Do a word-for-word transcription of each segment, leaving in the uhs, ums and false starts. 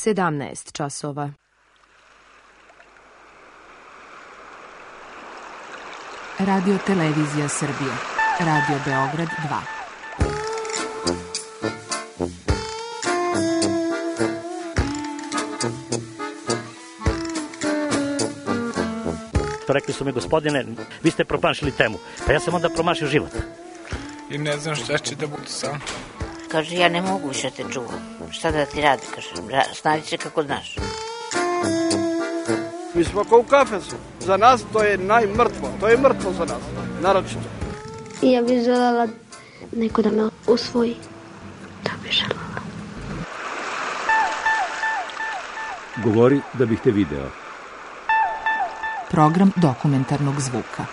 sedamnaest časova. Radio Televizija Srbije. Radio Beograd dva. Rekli su mi, gospodine, vi ste promašili temu. Pa ja sam onda promašio život. I ne znam šta će da bude sam. Kaže, ja ne mogu više te čuvam. Šta da ti radi, kaže, snađi se kako znaš. Mi smo kao u kafesu. Za nas to je najmrtvo. To je mrtvo za nas, naročito. Ja bih željela neko da me usvoji. To bih željela. Govori da bih te video. Program dokumentarnog zvuka.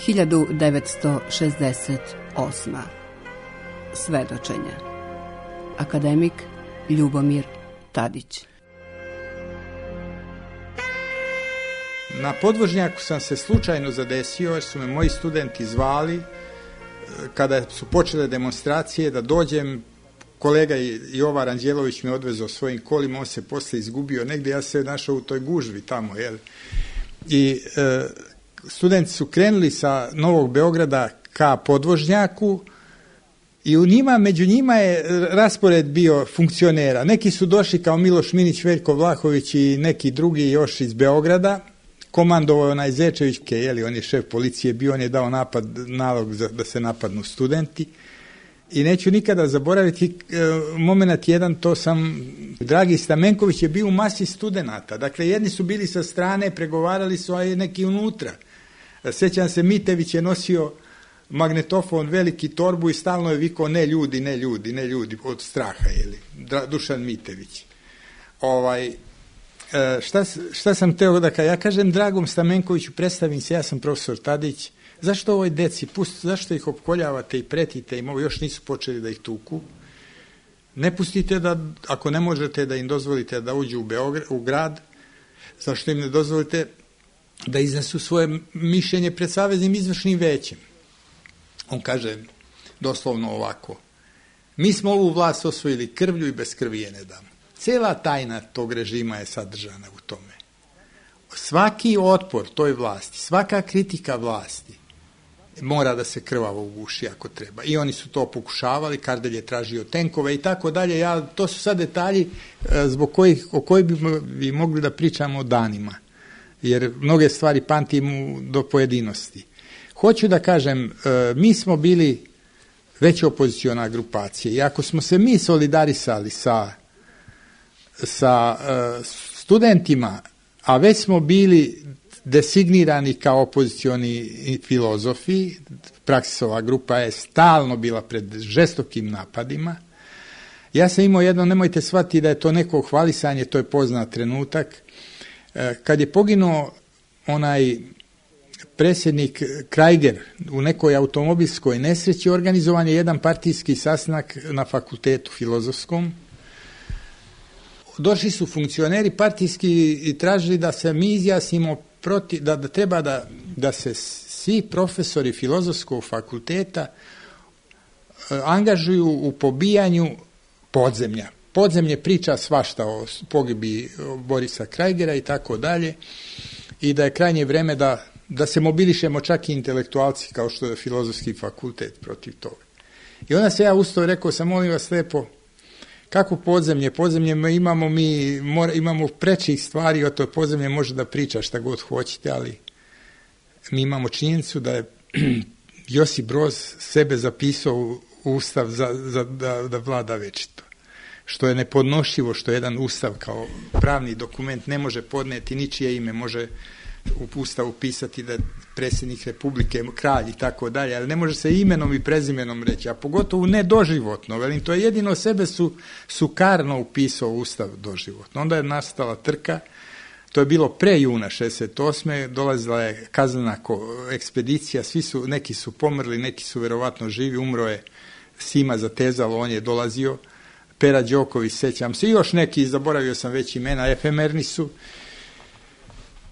hiljadu devetsto šezdeset osma. Svedočenja. Akademik Ljubomir Tadić. Na podvožnjaku sam se slučajno zadesio jer su me moji studenti zvali kada su počele demonstracije da dođem. Kolega Jovan Anđelović me odvezao svojim kolima, on se posle izgubio negdje, ja se našao u toj gužvi tamo, jel? I e, studenti su krenuli sa Novog Beograda ka podvožnjaku i u njima, među njima je raspored bio funkcionera. Neki su došli kao Miloš Minić, Veljko Vlahović i neki drugi još iz Beograda. Komandovao je onaj Zečević, jeli, on je šef policije bio, on je dao napad, nalog za, da se napadnu studenti. I neću nikada zaboraviti e, moment jedan, to sam, Dragi Stamenković je bio u masi studenata. Dakle, jedni su bili sa strane, pregovarali su, a neki unutra. Sjećam se, Mitević je nosio magnetofon, veliki torbu i stalno je vikao ne ljudi, ne ljudi, ne ljudi, od straha, jeli, Dušan Mitević. Ovaj, šta, šta sam teo da kažem? Ja kažem Dragom Stamenkoviću, predstavim se, ja sam profesor Tadić, zašto ovoj deci, pust, zašto ih opkoljavate i pretite im, ovo još nisu počeli da ih tuku, ne pustite da, ako ne možete da im dozvolite da uđu u, Beograd, u grad, zašto im ne dozvolite da iznesu svoje mišljenje pred Saveznim izvršnim većem. On kaže doslovno ovako: mi smo ovu vlast osvojili krvlju i bez krvi je ne damo. Cela tajna tog režima je sadržana u tome. Svaki otpor toj vlasti, svaka kritika vlasti mora da se krvavo uguši ako treba. I oni su to pokušavali, Kardelj je tražio tenkove i tako dalje. Ja, to su sad detalji zbog kojih, o kojih bi, bi mogli da pričamo danima. Jer mnoge stvari pamtim do pojedinosti. Hoću da kažem, mi smo bili već opoziciona grupacija i ako smo se mi solidarisali sa, sa studentima, a već smo bili designirani kao opozicioni filozofi, Praksisova grupa je stalno bila pred žestokim napadima. Ja sam imao jedno, nemojte shvatiti da je to neko hvalisanje, to je poznat trenutak. Kad je poginuo onaj predsjednik Krajger u nekoj automobilskoj nesreći, organizovan je jedan partijski sastanak na fakultetu filozofskom. Došli su funkcioneri partijski i tražili da se mi izjasnimo protiv, da, da treba da, da se svi profesori filozofskog fakulteta angažuju u pobijanju podzemlja. Podzemlje priča svašta o pogibi Borisa Krajgera i tako dalje, i da je krajnje vreme da, da se mobilišemo čak i intelektualci kao što je filozofski fakultet protiv toga. I onda se ja ustao i rekao sam, molim vas lijepo, kako podzemlje? Podzemlje imamo mi, mora, imamo prečih stvari, o to podzemlje može da priča šta god hoćete, ali mi imamo činjenicu da je Josip Broz sebe zapisao u ustav za, za, da, da vlada večito. Što je nepodnošljivo, što jedan ustav kao pravni dokument ne može podneti ničije ime, može u ustavu pisati da je predsjednik Republike, kralj i tako dalje, ali ne može se imenom i prezimenom reći, a pogotovo ne doživotno, velim, to je jedino sebe su, su karno upisao ustav doživotno. Onda je nastala trka, To je bilo pre juna šezdeset osme dolazila je kaznena ekspedicija, svi su, neki su pomrli, neki su verovatno živi, umro je Sima Zatezalo, on je dolazio, Pera Đoković, sećam se, i još neki, zaboravio sam već imena, efemerni su.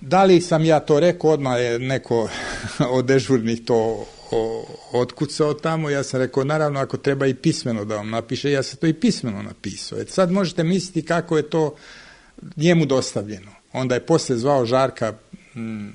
Da li sam ja to rekao, odmah je neko od dežurnih to otkucao tamo, ja sam rekao, naravno, ako treba i pismeno da vam napiše, ja sam to i pismeno napisao. Et sad možete misliti kako je to njemu dostavljeno. Onda je posle zvao Žarka mm,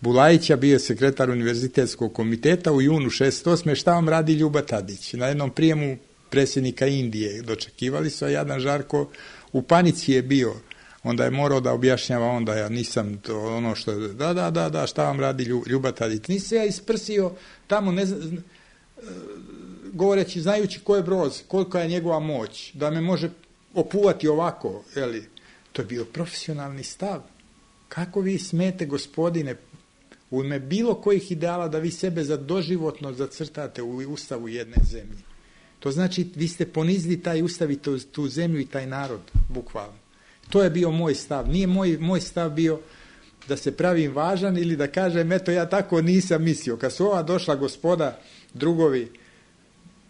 Bulajića, bio je sekretar univerzitetskog komiteta u junu šezdeset osme šta vam radi Ljuba Tadić? Na jednom prijemu predsjednika Indije dočekivali su, a jadan Žarko u panici je bio. Onda je morao da objašnjava, onda ja nisam to ono što, da, da, da, da, šta vam radi Ljuba Tadić. Nisam ja isprsio tamo, ne znam, govoreći, znajući ko je Broz, kolika je njegova moć, da me može opuvati ovako, jeli. To je bio profesionalni stav. Kako vi smete, gospodine, u ime bilo kojih ideala da vi sebe za doživotno zacrtate u ustavu jedne zemlje. To znači, vi ste ponizili taj ustav i tu, tu zemlju i taj narod, bukvalno. To je bio moj stav. Nije moj, moj stav bio da se pravim važan ili da kažem, eto, ja tako nisam mislio. Kad su ova došla gospoda, drugovi,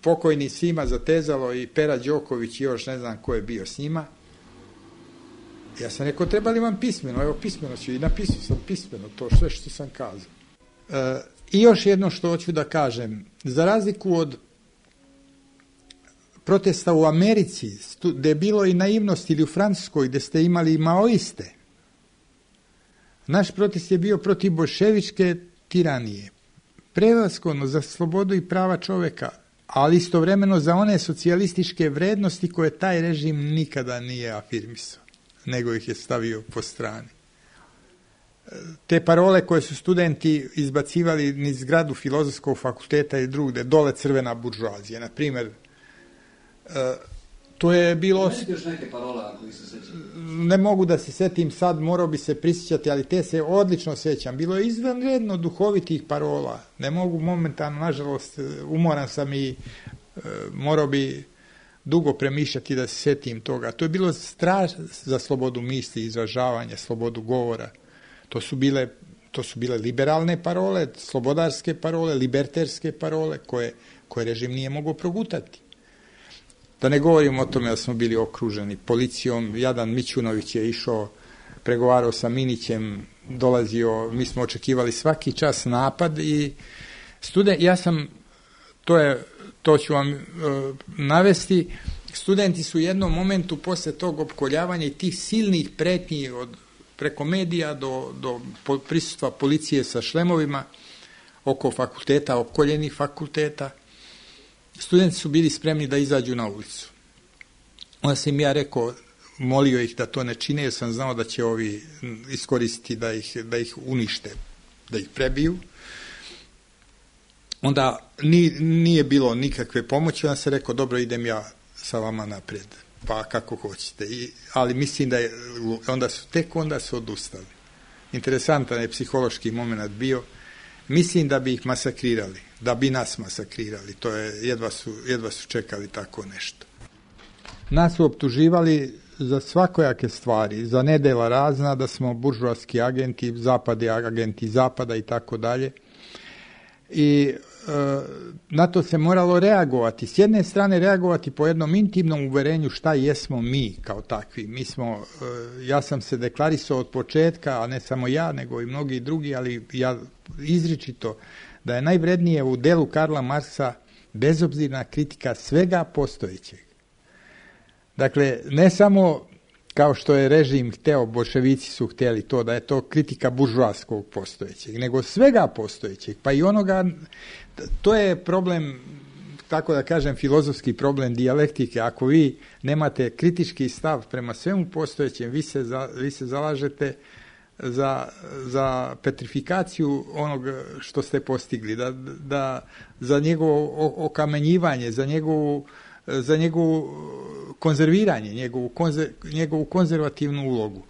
pokojni Sima Zatezalo i Pera Đoković i još ne znam ko je bio s njima, ja sam rekao, treba li vam pismeno? Evo, pismeno ću i napisao sam pismeno to sve što sam kazao. E, I još jedno što hoću da kažem, za razliku od protesta u Americi, gde je bilo i naivnost, ili u Francuskoj, gde ste imali i maoiste, naš protest je bio protiv boljševičke tiranije, prevashodno za slobodu i prava čoveka, ali istovremeno za one socijalističke vrednosti koje taj režim nikada nije afirmisao, nego ih je stavio po strani. Te parole koje su studenti izbacivali niz zgradu Filozofskog fakulteta i drugde, dole crvena buržoazija, na primjer, to je bilo... Ne mogu da se setim sad, morao bi se prisjećati, ali te se odlično sećam. Bilo je izvanredno duhovitih parola. Ne mogu momentalno, nažalost, umoran sam i e, morao bi dugo premišljati da se setim toga. To je bilo straž za slobodu misli, izražavanja, slobodu govora. To su bile, to su bile liberalne parole, slobodarske parole, liberterske parole, koje, koje režim nije mogao progutati. Da ne govorim o tome da smo bili okruženi policijom, jadan Mićunović je išao, pregovarao sa Minićem, dolazio, mi smo očekivali svaki čas napad i student, ja sam, to je, to ću vam uh, navesti, studenti su u jednom momentu posle tog opkoljavanja i tih silnih pretnji od preko medija do, do prisustva policije sa šlemovima oko fakulteta, opkoljenih fakulteta, studenti su bili spremni da izađu na ulicu. Onda sam ja rekao, molio ih da to ne čine, jer sam znao da će ovi iskoristiti da ih, da ih unište, da ih prebiju. Onda ni, nije bilo nikakve pomoći, onda sam rekao, dobro, idem ja sa vama naprijed, pa kako hoćete. I, ali mislim da je, onda su, tek onda su odustali. Interesantan je psihološki moment bio. Mislim da bi ih masakrirali, da bi nas masakrirali. To je, jedva su, jedva su čekali tako nešto. Nas su optuživali za svakojake stvari, za nedela razna, da smo buržoaski agenti, zapadi agenti zapada i tako dalje. I e, na to se moralo reagovati. S jedne strane reagovati po jednom intimnom uverenju šta jesmo mi kao takvi. Mi smo, e, ja sam se deklarisao od početka, a ne samo ja, nego i mnogi drugi, ali ja izričito da je najvrednije u delu Karla Marksa bezobzirna kritika svega postojećeg. Dakle, ne samo kao što je režim hteo, boljševici su htjeli to, da je to kritika buržoaskog postojećeg, nego svega postojećeg, pa i onoga, to je problem, tako da kažem, filozofski problem dijalektike. Ako vi nemate kritički stav prema svemu postojećem, vi se, za, vi se zalažete za, za petrifikaciju onog što ste postigli, da, da za njegovo okamenjivanje, za njegovu za njegovu konzerviranje, njegovu, konzer, njegovu konzervativnu ulogu.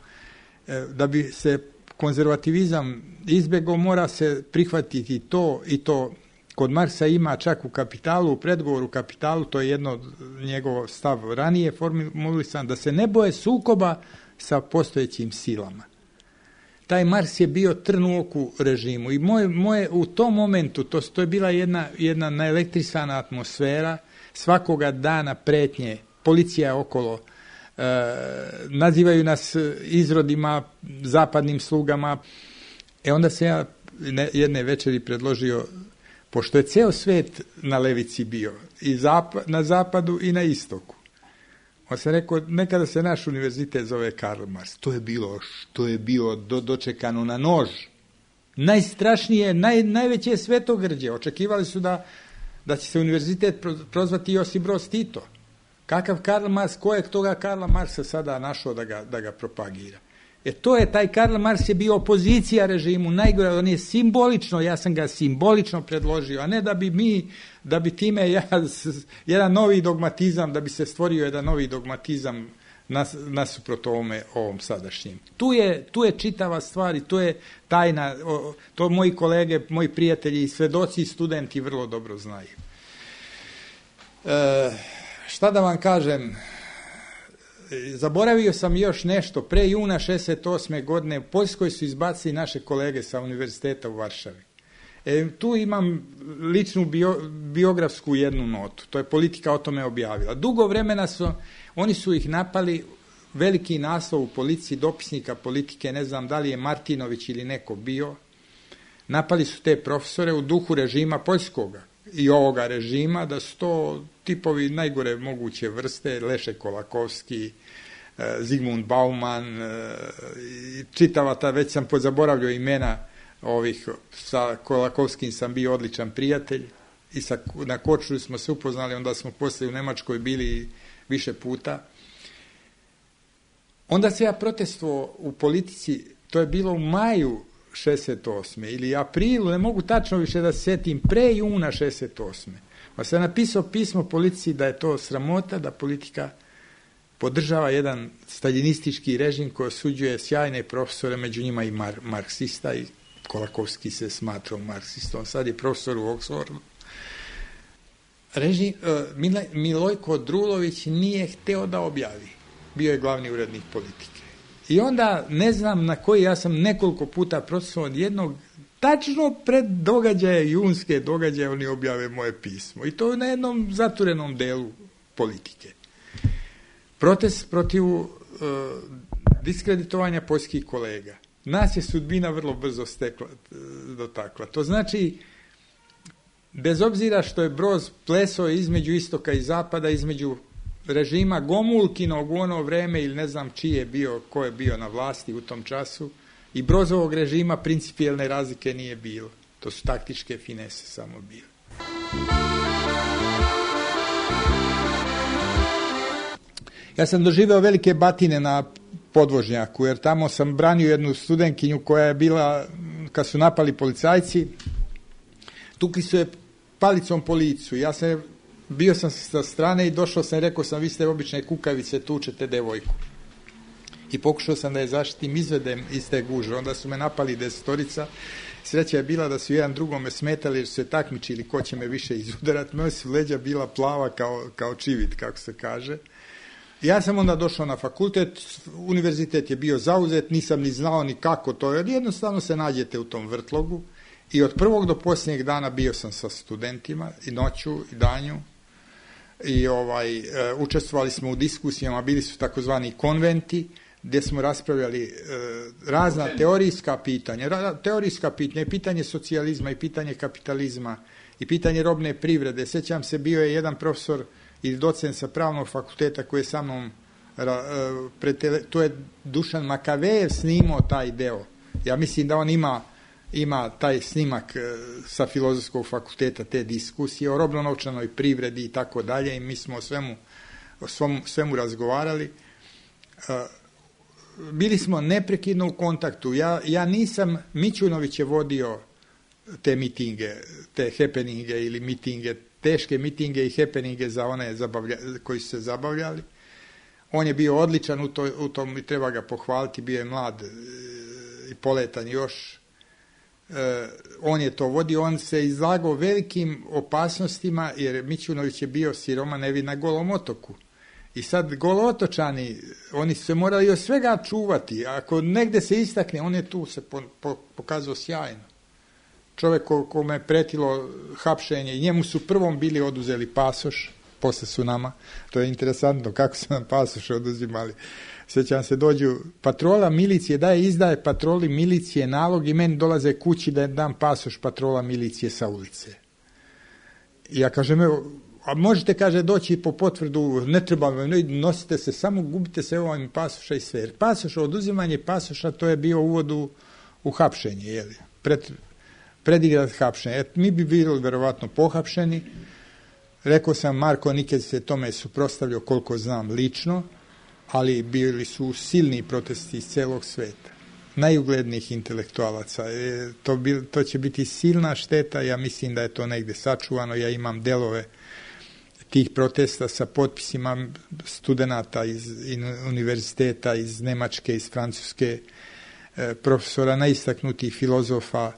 Da bi se konzervativizam izbjegao, mora se prihvatiti to i to. Kod Marksa ima čak u Kapitalu, u predgovoru Kapitalu, to je jedno njegov stav ranije formulisan, da se ne boje sukoba sa postojećim silama. taj Mars je bio trn u oku režimu i moje, moje, u tom momentu, to, to je bila jedna, jedna naelektrisana atmosfera, svakoga dana pretnje, policija okolo, e, nazivaju nas izrodima, zapadnim slugama. E onda se ja ne, jedne večeri predložio, pošto je ceo svet na levici bio, i zap, na zapadu i na istoku. On se rekao, nekada se naš univerzitet zove Karl Marx. To je bilo, što je bio do, dočekano na nož. Najstrašnije, naj, najveće svetogrđe. Očekivali su da, da će se univerzitet prozvati Josip Broz Tito. Kakav Karl Marx, ko je toga Karla Marksa sada našao da ga, da ga propagira? E to je, taj Karl Marx je bio opozicija režimu, najgore, on je simbolično, ja sam ga simbolično predložio, a ne da bi mi, da bi time ja, jedan novi dogmatizam, da bi se stvorio jedan novi dogmatizam nas, nasuprot ovome, ovom sadašnjem. Tu je, tu je čitava stvar i to je tajna, to moji kolege, moji prijatelji, svedoci i studenti vrlo dobro znaju. E, šta da vam kažem, zaboravio sam još nešto. Pre juna šezdeset osme godine u Poljskoj su izbacili naše kolege sa univerziteta u Varšavi. E, tu imam ličnu bio, biografsku jednu notu. To je Politika o tome objavila. Dugo vremena su, oni su ih napali, veliki naslov u policiji, dopisnika Politike, ne znam da li je Martinović ili neko bio. Napali su te profesore u duhu režima poljskoga i ovoga režima, da su to tipovi najgore moguće vrste, Lešek Kolakovski, Zigmund Bauman, čitava ta, već sam pozaboravljao imena ovih, sa Kolakovskim sam bio odličan prijatelj i sa, na Korčuli smo se upoznali, onda smo poslije u Nemačkoj bili više puta. Onda se ja protestovao u politici, to je bilo u maju šezdeset osme ili aprilu, ne mogu tačno više da se sjetim, pre juna šezdeset osme. Pa sam napisao pismo policiji da je to sramota, da politika podržava jedan staljinistički režim koji osuđuje sjajne profesore, među njima i mar, marksista, i Kolakovski se smatrao marksistom, sad je profesor u Oxfordu. Režim, uh, Milojko Drulović nije hteo da objavi, bio je glavni urednik Politike. I onda, ne znam na koji, ja sam nekoliko puta protestovao od jednog, tačno pred događaje, junske događaje, oni objave moje pismo. I to na jednom zaturenom delu Politike. Protest protiv uh, diskreditovanja poljskih kolega. Nas je sudbina vrlo brzo stekla, dotakla. To znači, bez obzira što je Broz plesao između istoka i zapada, između režima Gomulkinog u ono vreme ili ne znam čiji je bio, ko je bio na vlasti u tom času, i Brozovog režima principijelne razlike nije bilo. To su taktičke finese samo bile. Ja sam doživeo velike batine na podvožnjaku, jer tamo sam branio jednu studentkinju koja je bila, kad su napali policajci, tukli su je palicom po licu. Ja sam, bio sam sa strane i došao sam i rekao sam, vi ste obične kukavice, tučete devojku. I pokušao sam da je zaštitim, izvedem iz te gužve. Onda su me napali desetorica. Sreća je bila da su jedan drugome smetali jer su se takmičili ko će me više izudarati. Moja su leđa bila plava kao, kao čivit, kako se kaže. Ja sam onda došao na fakultet, univerzitet je bio zauzet, nisam ni znao ni kako to, jer jednostavno se nađete u tom vrtlogu i od prvog do posljednjeg dana bio sam sa studentima i noću i danju i ovaj, e, učestvovali smo u diskusijama, bili su takozvani konventi gdje smo raspravljali e, razna teorijska pitanja, ra, teorijska pitanja, i pitanje socijalizma i pitanje kapitalizma i pitanje robne privrede. Sjećam se, bio je jedan profesor ili docent sa pravnog fakulteta koji je sa mnom, to je Dušan Makavejev snimao taj deo. Ja mislim da on ima, ima taj snimak sa filozofskog fakulteta, te diskusije o robno-novčanoj privredi i tako dalje, i mi smo o svemu, o svemu, svemu razgovarali. Bili smo neprekidno u kontaktu. Ja, ja nisam, Mićunović je vodio te mitinge, te happeninge ili mitinge, teške mitinge i happeninge za one zabavlja, koji su se zabavljali. On je bio odličan u, to, u tom i treba ga pohvaliti, bio je mlad e, i poletan još. E, on je to vodio, on se izlagao velikim opasnostima, jer Mićunović je bio siroma nevin na Golom otoku. I sad Golotočani, oni su se morali od svega čuvati. Ako negde se istakne, on je tu se po, po, pokazao sjajno. Čovjek ko, kome je pretilo hapšenje, i njemu su prvom bili oduzeli pasoš, posle su nama. To je interesantno kako su nam pasoše oduzimali. Sjećam se, dođu patrola milicije, daje izdaje patroli milicije nalog i meni dolaze kući da dam pasoš patrola milicije sa ulice. I ja kažem, evo, a možete, kaže, doći po potvrdu, ne treba, nosite se, samo gubite se ovim pasoša i sve. Pasoš, oduzimanje pasoša, to je bio uvod u, u hapšenje, jeli, pred, predigrat hapšenje. Et, mi bi bili verovatno pohapšeni. Rekao sam, Marko Nikez se tome suprotstavljao, koliko znam, lično, ali bili su silni protesti iz celog sveta, najuglednijih intelektualaca. E, to, bil, to će biti silna šteta, ja mislim da je to negde sačuvano, ja imam delove tih protesta sa potpisima studenata iz univerziteta, iz Nemačke, iz Francuske, e, profesora najistaknutih filozofa.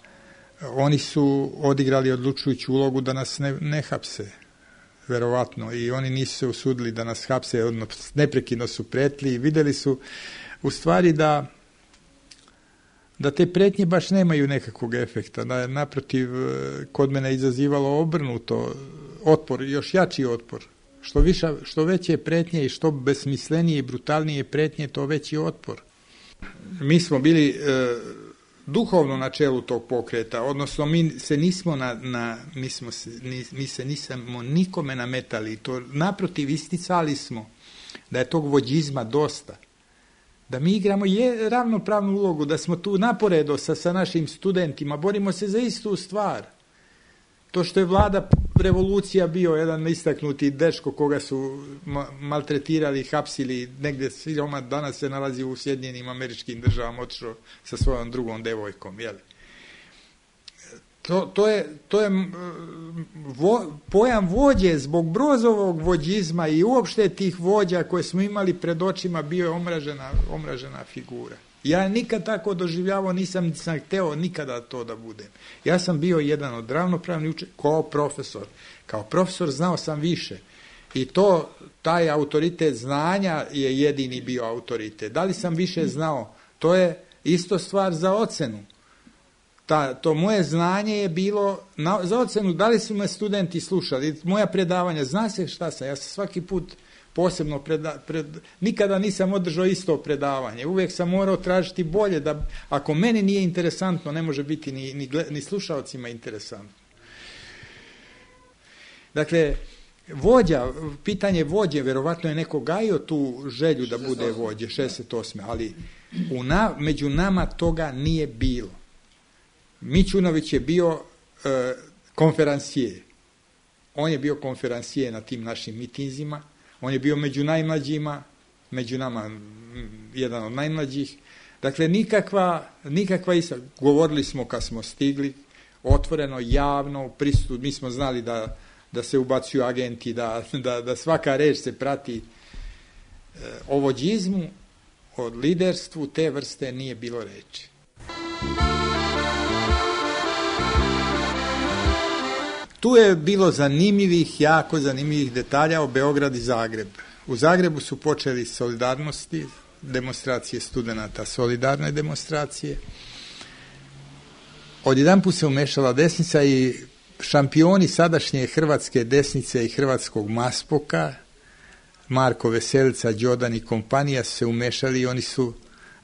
Oni su odigrali odlučujuću ulogu da nas ne, ne hapse, verovatno, i oni nisu se usudili da nas hapse, odnosno neprekidno su pretili i videli su u stvari da da te pretnje baš nemaju nekakvog efekta, da je naprotiv kod mene izazivalo obrnuto otpor, još jači otpor. Što, viša, što veće pretnje i što besmislenije i brutalnije pretnje, to veći otpor. Mi smo bili e, duhovno na čelu tog pokreta, odnosno mi se nismo na, na mi, smo se, ni, mi se nismo nikome nametali, to naprotiv isticali smo da je tog vođizma dosta, da mi igramo je, ravnopravnu ulogu, da smo tu naporedo sa, sa našim studentima, borimo se za istu stvar. To što je vlada revolucija bio jedan istaknuti dečko koga su ma, maltretirali, hapsili, negde siroma, danas se nalazi u Sjedinjenim Američkim Državama, otišao sa svojom drugom devojkom, jeli. To, to je, to je vo, pojam vođe zbog Brozovog vođizma i uopšte tih vođa koje smo imali pred očima, bio je omražena, omražena figura. Ja nikad tako doživljavao, nisam, nisam hteo nikada to da budem. Ja sam bio jedan od ravnopravnih učenika, kao profesor. Kao profesor znao sam više. I to, taj autoritet znanja je jedini bio autoritet. Da li sam više znao? To je isto stvar za ocenu. Ta, to moje znanje je bilo na, za ocenu, da li su me studenti slušali, moja predavanja, zna se šta sam, ja sam svaki put posebno, preda, pred, nikada nisam održao isto predavanje, uvijek sam morao tražiti bolje, da ako meni nije interesantno, ne može biti ni, ni, ni slušalcima interesantno. Dakle, vođa, pitanje vođe, verovatno je neko gajio tu želju da bude vođe, šezdeset osme ali u na, među nama toga nije bilo. Mićunović je bio e, konferansije. On je bio konferansije na tim našim mitinzima. On je bio među najmlađima, među nama jedan od najmlađih. Dakle, nikakva, nikakva isa. Govorili smo kad smo stigli, otvoreno, javno, pristup. Mi smo znali da, da se ubacuju agenti, da, da, da svaka reč se prati. E, o vođizmu, o liderstvu te vrste nije bilo reči. Tu je bilo zanimljivih, jako zanimljivih detalja o Beograd i Zagreb. U Zagrebu su počeli solidarnosti, demonstracije studenata, solidarne demonstracije. Odjedanput se umešala desnica i šampioni sadašnje hrvatske desnice i hrvatskog maspoka, Marko Veselica, Đodan i kompanija, su se umešali i oni su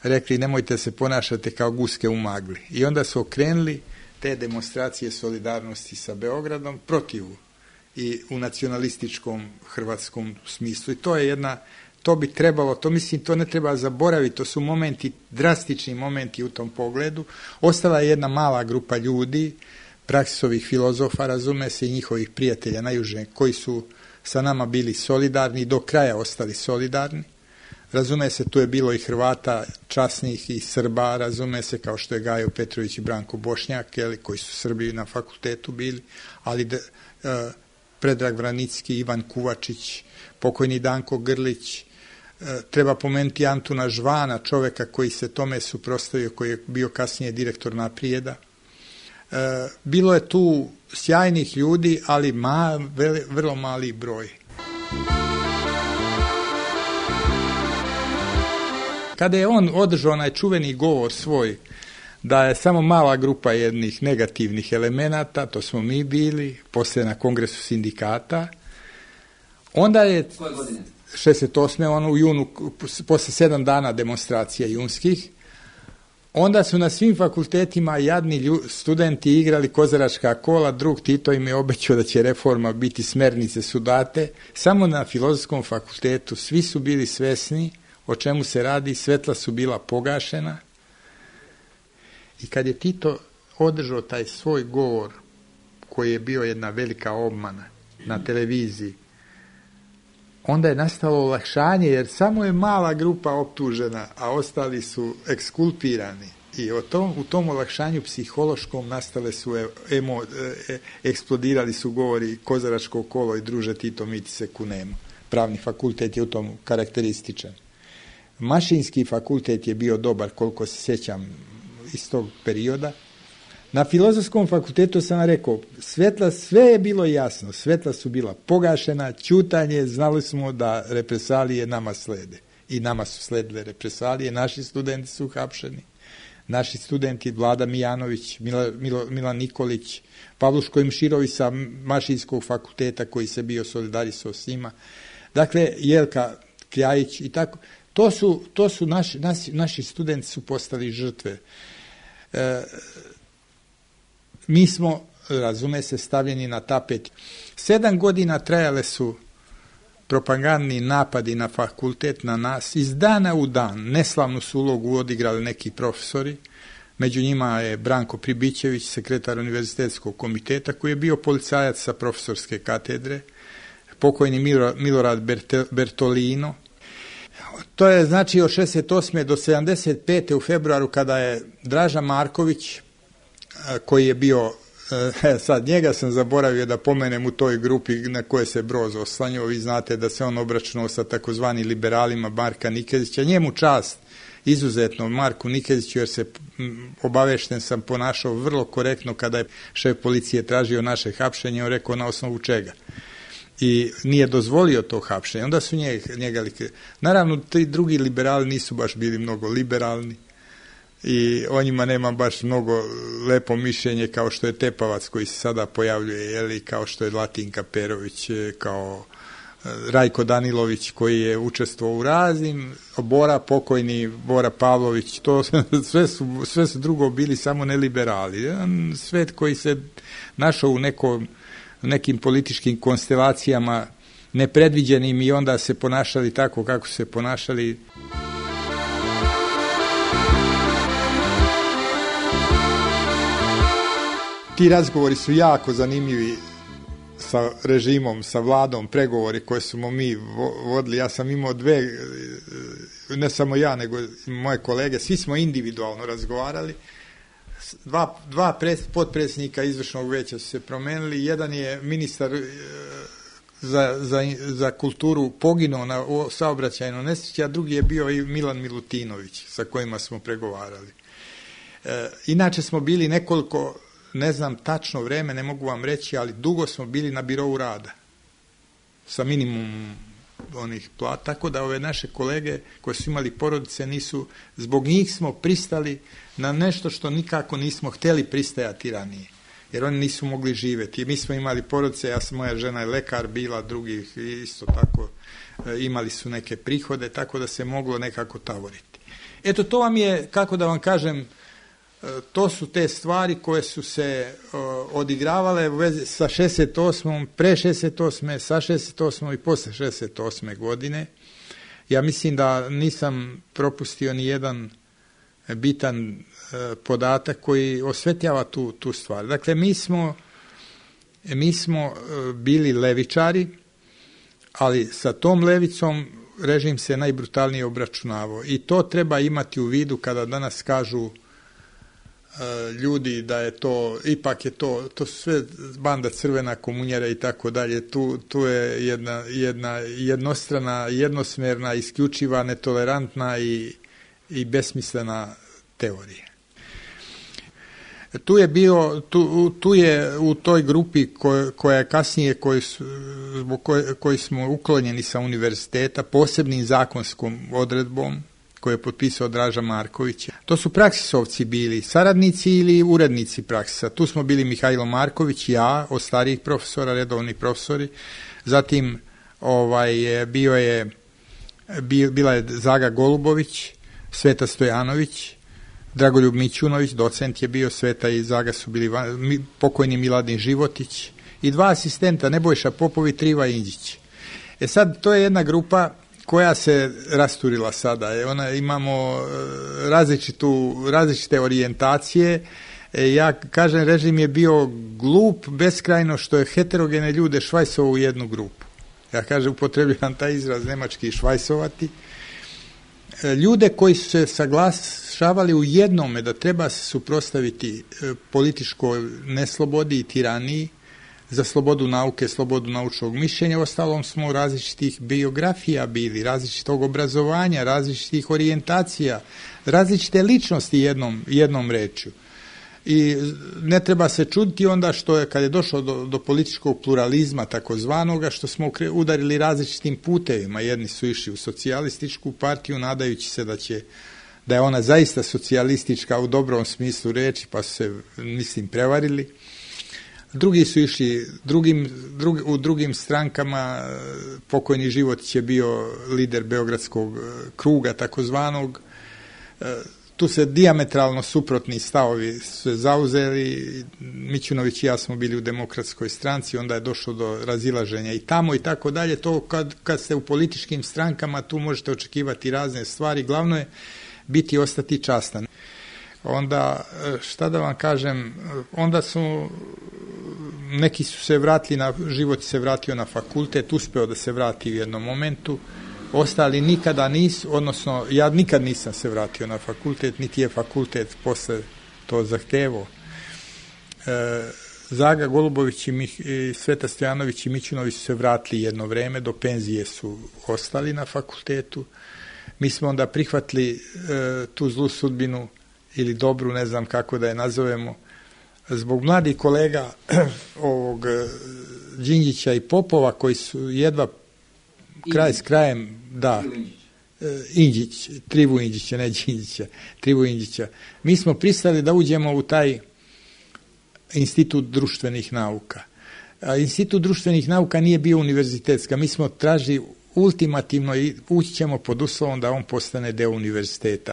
rekli nemojte se ponašati kao guske u magli. I onda su okrenuli te demonstracije solidarnosti sa Beogradom protiv i u nacionalističkom hrvatskom smislu. I to je jedna, to bi trebalo, to mislim, to ne treba zaboraviti, to su momenti, drastični momenti u tom pogledu. Ostala je jedna mala grupa ljudi, praksisovih filozofa, razume se, i njihovih prijatelja najuže, koji su sa nama bili solidarni, do kraja ostali solidarni. Razume se, tu je bilo i Hrvata časnih i Srba, razume se, kao što je Gajo Petrović i Branko Bošnjak, jeli, koji su Srbi na fakultetu bili, ali de, uh, Predrag Vranicki, Ivan Kuvačić, pokojni Danko Grlić, uh, treba pomenuti Antuna Žvana, čoveka koji se tome suprotstavio, koji je bio kasnije direktor Naprijeda. Uh, bilo je tu sjajnih ljudi, ali ma, veli, vrlo mali broj. Kada je on održao onaj čuveni govor svoj, da je samo mala grupa jednih negativnih elemenata, to smo mi bili, poslije na kongresu sindikata, onda je šezdeset osme on u junu, poslije sedam dana demonstracija junskih, onda su na svim fakultetima jadni lju, studenti igrali kozaračka kola, drug Tito im je obećao da će reforma biti, smernice su date, samo na Filozofskom fakultetu svi su bili svesni o čemu se radi, svetla su bila pogašena. I kad je Tito održao taj svoj govor, koji je bio jedna velika obmana na televiziji, onda je nastalo olakšanje, jer samo je mala grupa optužena, a ostali su ekskulpirani. I o tom, u tom olakšanju psihološkom nastale su, emo, e, eksplodirali su govori kozaračko kolo i druže Tito, mi ti se kunemo. Pravni fakultet je u tom karakterističan. Mašinski fakultet je bio dobar, koliko se sjećam, iz tog perioda. Na Filozofskom fakultetu sam rekao, svetla, sve je bilo jasno, svetla su bila pogašena, ćutanje, znali smo da represalije nama slede. I nama su sledile represalije, naši studenti su hapšeni, naši studenti Vlada Mijanović, Mila, Milo, Milan Nikolić, Pavluško Imširović sa Mašinskog fakulteta koji se bio solidarisao s njima, dakle Jelka Kljajić i tako. To su, to su naši, naši, naši studenti su postali žrtve. E, mi smo, razume se, stavljeni na tapet. Sedam godina trajale su propagandni napadi na fakultet, na nas, iz dana u dan. Neslavnu su ulogu odigrali neki profesori, među njima je Branko Pribićević, sekretar univerzitetskog komiteta, koji je bio policajac sa profesorske katedre, pokojni Milorad Bertolino. To je znači od šezdeset osme do sedamdeset pete u februaru, kada je Draža Marković, koji je bio, sad njega sam zaboravio da pomenem u toj grupi na koje se Broz oslanjao, vi znate da se on obračunao sa takozvani liberalima Marka Nikezića, njemu čast izuzetno Marku Nikeziću, jer se obavešten sam ponašao vrlo korektno kada je šef policije tražio naše hapšenje, on rekao na osnovu čega. I nije dozvolio to hapšenje. Onda su njega, njega naravno, ti drugi liberali nisu baš bili mnogo liberalni i o njima nema baš mnogo lepo mišljenje, kao što je Tepavac koji se sada pojavljuje, jeli, kao što je Latinka Perović, kao Rajko Danilović koji je učestvovao u raznim, Bora, pokojni Bora Pavlović, to sve su, sve su drugo bili samo neliberali. Jedan svet koji se našao u nekom nekim političkim konstelacijama nepredviđenim i onda se ponašali tako kako se ponašali. Ti razgovori su jako zanimljivi sa režimom, sa vladom, pregovori koje smo mi vodili. Ja sam imao dve, ne samo ja, nego moje kolege, svi smo individualno razgovarali. Dva, dva pres, potpredsjednika izvršnog veća su se promenili. Jedan je ministar e, za, za, za kulturu poginuo na saobraćajnoj nesreći, a drugi je bio i Milan Milutinović, sa kojima smo pregovarali. E, inače smo bili nekoliko, ne znam tačno vreme, ne mogu vam reći, ali dugo smo bili na birovu rada sa minimum onih plata, tako da ove naše kolege koji su imali porodice nisu, zbog njih smo pristali na nešto što nikako nismo htjeli pristajati ranije, jer oni nisu mogli živjeti. Mi smo imali porodice, ja sam, moja žena je lekar bila, drugih isto tako, imali su neke prihode, tako da se moglo nekako tavoriti. Eto, to vam je, kako da vam kažem, to su te stvari koje su se uh, odigravale u vezi sa šezdeset osmom, pre šezdeset osme, sa šezdeset osmom i posle šezdeset osme godine. Ja mislim da nisam propustio ni jedan bitan uh, podatak koji osvetljava tu, tu stvar. Dakle, mi smo, mi smo uh, bili levičari, ali sa tom levicom režim se najbrutalnije obračunavao. I to treba imati u vidu kada danas kažu ljudi da je to, ipak je to, to su sve banda crvena komunjera i tako dalje, tu, tu je jedna, jedna jednostrana, jednosmerna, isključiva, netolerantna i, i besmislena teorija. Tu je bio, tu, tu je u toj grupi koja, koja je kasnije, koji, su, koji, koji smo uklonjeni sa univerziteta posebnim zakonskom odredbom, koje je potpisao Draža Marković. To su praksisovci bili, saradnici ili urednici praksisa. Tu smo bili Mihajlo Marković, ja, od starijih profesora, redovni profesori. Zatim ovaj, bio je, bila je Zaga Golubović, Sveta Stojanović, Dragoljub Mićunović, docent je bio, Sveta i Zaga su bili pokojni Miladin Životić i dva asistenta, Nebojša Popov i Triva Inđić. E sad, to je jedna grupa koja se rasturila sada. E, ona, imamo različitu, različite orijentacije. E, ja kažem, režim je bio glup beskrajno što je heterogene ljude švajsovao u jednu grupu. Ja kažem, upotrebljavam taj izraz nemački švajsovati. E, ljude koji su se saglašavali u jednome da treba se suprotstaviti e, političkoj neslobodi i tiraniji, za slobodu nauke, slobodu naučnog mišljenja, ostalom smo različitih biografija bili, različitog obrazovanja, različitih orijentacija, različite ličnosti jednom, jednom rečju. I ne treba se čuditi onda što je, kad je došlo do, do političkog pluralizma takozvanoga, što smo udarili različitim putevima. Jedni su išli u socijalističku partiju, nadajući se da će, da je ona zaista socijalistička u dobrom smislu reči, pa su se, mislim, prevarili. Drugi su išli drugim, drug, u drugim strankama. Pokojni Životić je bio lider Beogradskog kruga takozvanog. Tu se dijametralno suprotni stavovi se zauzeli. Mićunović i ja smo bili u Demokratskoj stranci, onda je došlo do razilaženja i tamo i tako dalje. To kad, kad ste u političkim strankama, tu možete očekivati razne stvari. Glavno je biti i ostati častan. Onda, šta da vam kažem, onda su neki su se vratili na, Život se vratio na fakultet, uspeo da se vrati u jednom momentu, ostali nikada nisu, odnosno ja nikad nisam se vratio na fakultet, niti je fakultet posle to zahtevao. E, Zaga Golubović i, Mih, i Sveta Stojanović i Mićunović su se vratili jedno vreme, do penzije su ostali na fakultetu. Mi smo onda prihvatili e, tu zlu sudbinu ili dobru, ne znam kako da je nazovemo, zbog mladih kolega ovog Đinđića i Popova koji su jedva kraj s krajem, da, Inđić, Trivu Inđića, ne Đinđića, Trivu Inđića. Mi smo pristali da uđemo u taj institut društvenih nauka. A institut društvenih nauka nije bio univerzitetska. Mi smo tražili ultimativno i ući ćemo pod uslovom da on postane deo univerziteta.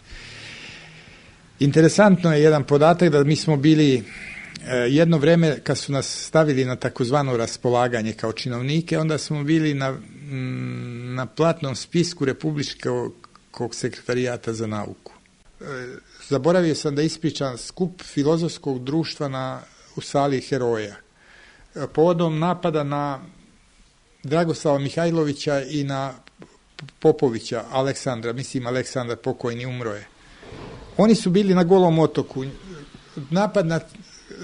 Interesantno je jedan podatak da mi smo bili jedno vreme kad su nas stavili na takozvano raspolaganje kao činovnike, onda smo bili na, na platnom spisku Republičkog sekretarijata za nauku. Zaboravio sam da ispričam skup filozofskog društva na, u sali Heroja. Povodom napada na Dragoslava Mihajlovića i na Popovića, Aleksandra, mislim Aleksandar pokojni umro je. Oni su bili na Golom otoku. Napad na,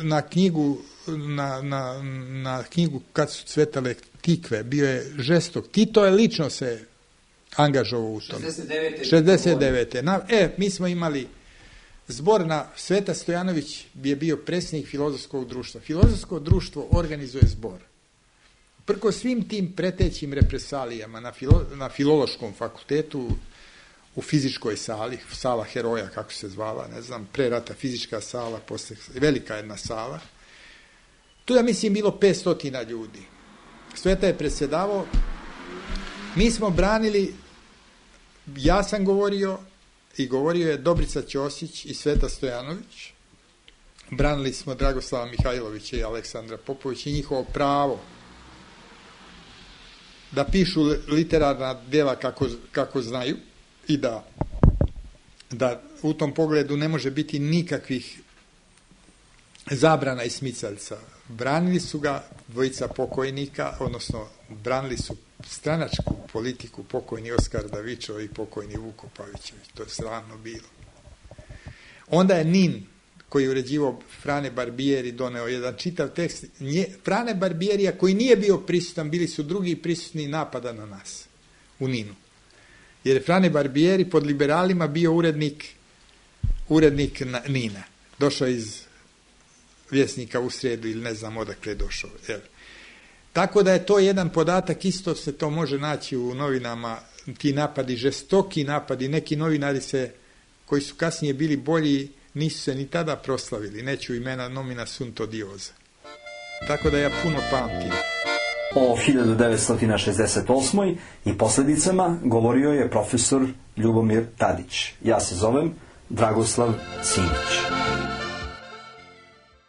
na knjigu na, na, na knjigu Kad su cvetale tikve bio je žestok. Tito je lično se angažovao u tom. šezdeset devete. Na, e, mi smo imali zbor na Sveta Stojanović je bio predsjednik filozofskog društva. Filozofsko društvo organizuje zbor. Prko svim tim pretećim represalijama na, filo, na filološkom fakultetu, u fizičkoj sali, sala Heroja, kako se zvala, ne znam, pre rata fizička sala, posle velika jedna sala. Tu je, mislim, bilo petsto ljudi. Sveta je predsjedavao. Mi smo branili, ja sam govorio i govorio je Dobrica Ćosić i Sveta Stojanović. Branili smo Dragoslava Mihajlovića i Aleksandra Popovića i njihovo pravo da pišu literarna djela kako, kako znaju i da, da u tom pogledu ne može biti nikakvih zabrana i smicaljca. Branili su ga dvojica pokojnika, odnosno branili su stranačku politiku, pokojni Oskar Davičo i pokojni Vuko Pavićević. To je slavno bilo. Onda je Nin, koji je uređivao Frane Barbieri, doneo jedan čitav tekst. Nje, Frane Barbierija, koji nije bio prisutan, bili su drugi prisutni napada na nas u Ninu. Jer je Frane Barbieri pod liberalima bio urednik, urednik Nina. Došao iz Vjesnika u Srijedu ili ne znam odakle je došao. Jer Tako da je to jedan podatak, isto se to može naći u novinama, ti napadi, žestoki napadi, neki novinari se, koji su kasnije bili bolji, nisu se ni tada proslavili, neću imena nomina sunt odiosa. Tako da ja puno pamtim. O hiljadu devetsto šezdeset osmoj i posljedicama govorio je profesor Ljubomir Tadić. Ja se zovem Dragoslav Simić.